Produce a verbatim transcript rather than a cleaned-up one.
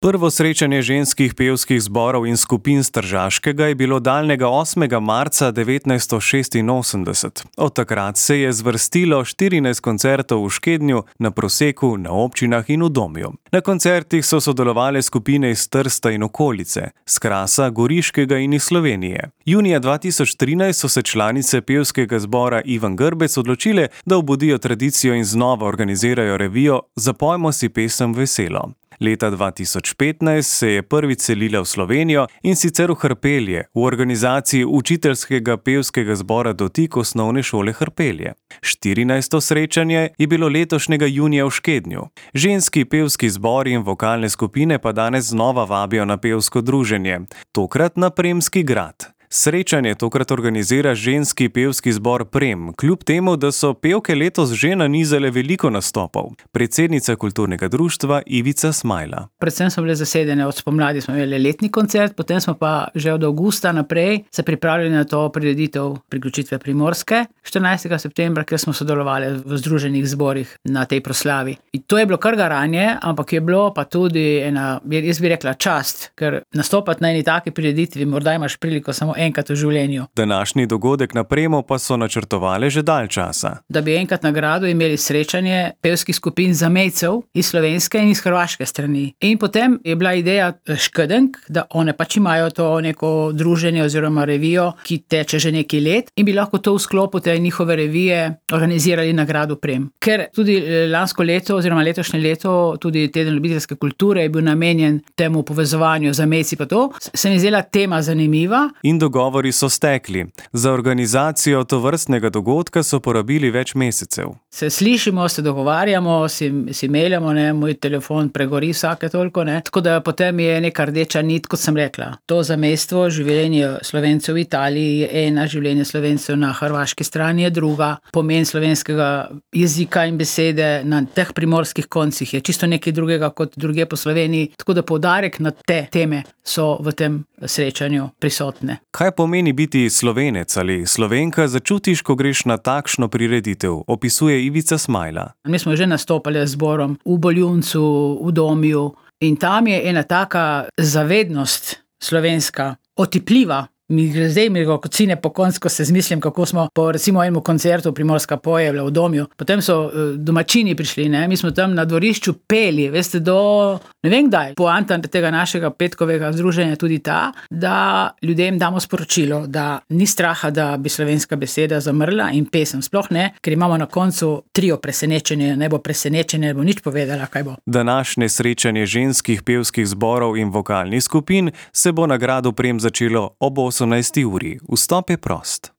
Prvo srečanje ženskih pevskih zborov in skupin s Tržaškega je bilo daljnega osmega marca devetnajststo šestinosemdeset. Od takrat se je zvrstilo štirinajst koncertov v Škednju, na Proseku, na občinah in v Domju. Na koncertih so sodelovale skupine iz Trsta in okolice, s Krasa, Goriškega in iz Slovenije. Junija dva tisoč trinajst so se članice pevskega zbora Ivan Grbec odločile, da obudijo tradicijo in znova organizirajo revijo Zapojmo si pesem veselo. Leta dva tisoč petnajst se je prvič selila v Slovenijo in sicer v Hrpelje, v organizaciji učiteljskega pevskega zbora Dotik osnovne šole Hrpelje. štirinajsto srečanje je bilo letošnjega junija v Škednju. Ženski pevski zbori in vokalne skupine pa danes znova vabijo na pevsko druženje, tokrat na Premski grad. Srečanje tokrat organizira ženski pevski zbor Prem, kljub temu, da so pevke letos že nanizale veliko nastopov. Predsednica kulturnega društva Ivica Smajla. Predvsem so bile zasedene, od spomladi smo imeli letni koncert, potem smo pa že od avgusta naprej se pripravljali na to prireditev priključitve Primorske, štirinajstega septembra, kjer smo sodelovali v združenih zborih na tej proslavi. In to je bilo kar garanje, ampak je bilo pa tudi ena, jaz bi rekla, čast, ker nastopati na eni taki prireditvi, morda imaš priliko samo enkrat v življenju. Današnji dogodek na Premu pa so načrtovali že dalj časa. Da bi enkrat na gradu imeli srečanje pevskih skupin zamejcev iz slovenske in iz hrvaške strani. In potem je bila ideja Škedenk, da one pač imajo to neko druženje oziroma revijo, ki teče že nekaj let in bi lahko to v sklopu te njihove revije organizirali na gradu Prem. Ker tudi lansko leto oziroma letošnje leto, tudi teden ljubiteljske kulture je bil namenjen temu povezovanju zamejci pa to, se mi zdela tema zanimiva. In dogovori so stekli. Za organizacijo tovrstnega dogodka so porabili več mesecev. Se slišimo, se dogovarjamo, si, si mailamo, ne, moj telefon pregori vsake toliko, ne. Tako da potem je neka rdeča nit, kot sem rekla. To zamestvo, življenje Slovencev v Italiji je ena, življenje Slovencev na hrvaški strani je druga. Pomen slovenskega jezika in besede na teh primorskih koncih je čisto nekaj drugega kot druge po Sloveniji. Tako da poudarek na te teme so v tem srečanju prisotne. Kaj pomeni biti Slovenec ali Slovenka, začutiš, ko greš na takšno prireditev, opisuje Ivica Smajla. Mi smo že nastopali z zborom v Boljuncu, v Domju in tam je ena taka zavednost slovenska, otipljiva. Mi gre zdaj, mi gre kot sine po konc, ko se zmislim, kako smo po recimo enemu koncertu Primorska poje v Domju. Potem so uh, domačini prišli, ne? Mi smo tam na dvorišču peli, veste, do ne vem kdaj. Poanta tega našega petkovega združenja tudi ta, da ljudem damo sporočilo, da ni straha, da bi slovenska beseda zamrla in pesem sploh ne, ker imamo na koncu trio presenečenje, ne bo presenečenje, ne bo nič povedala, kaj bo. Današnje srečanje ženskih pevskih zborov in vokalnih skupin se bo na gradu Prem začelo ob osemnajsti uri. Vstop je prost.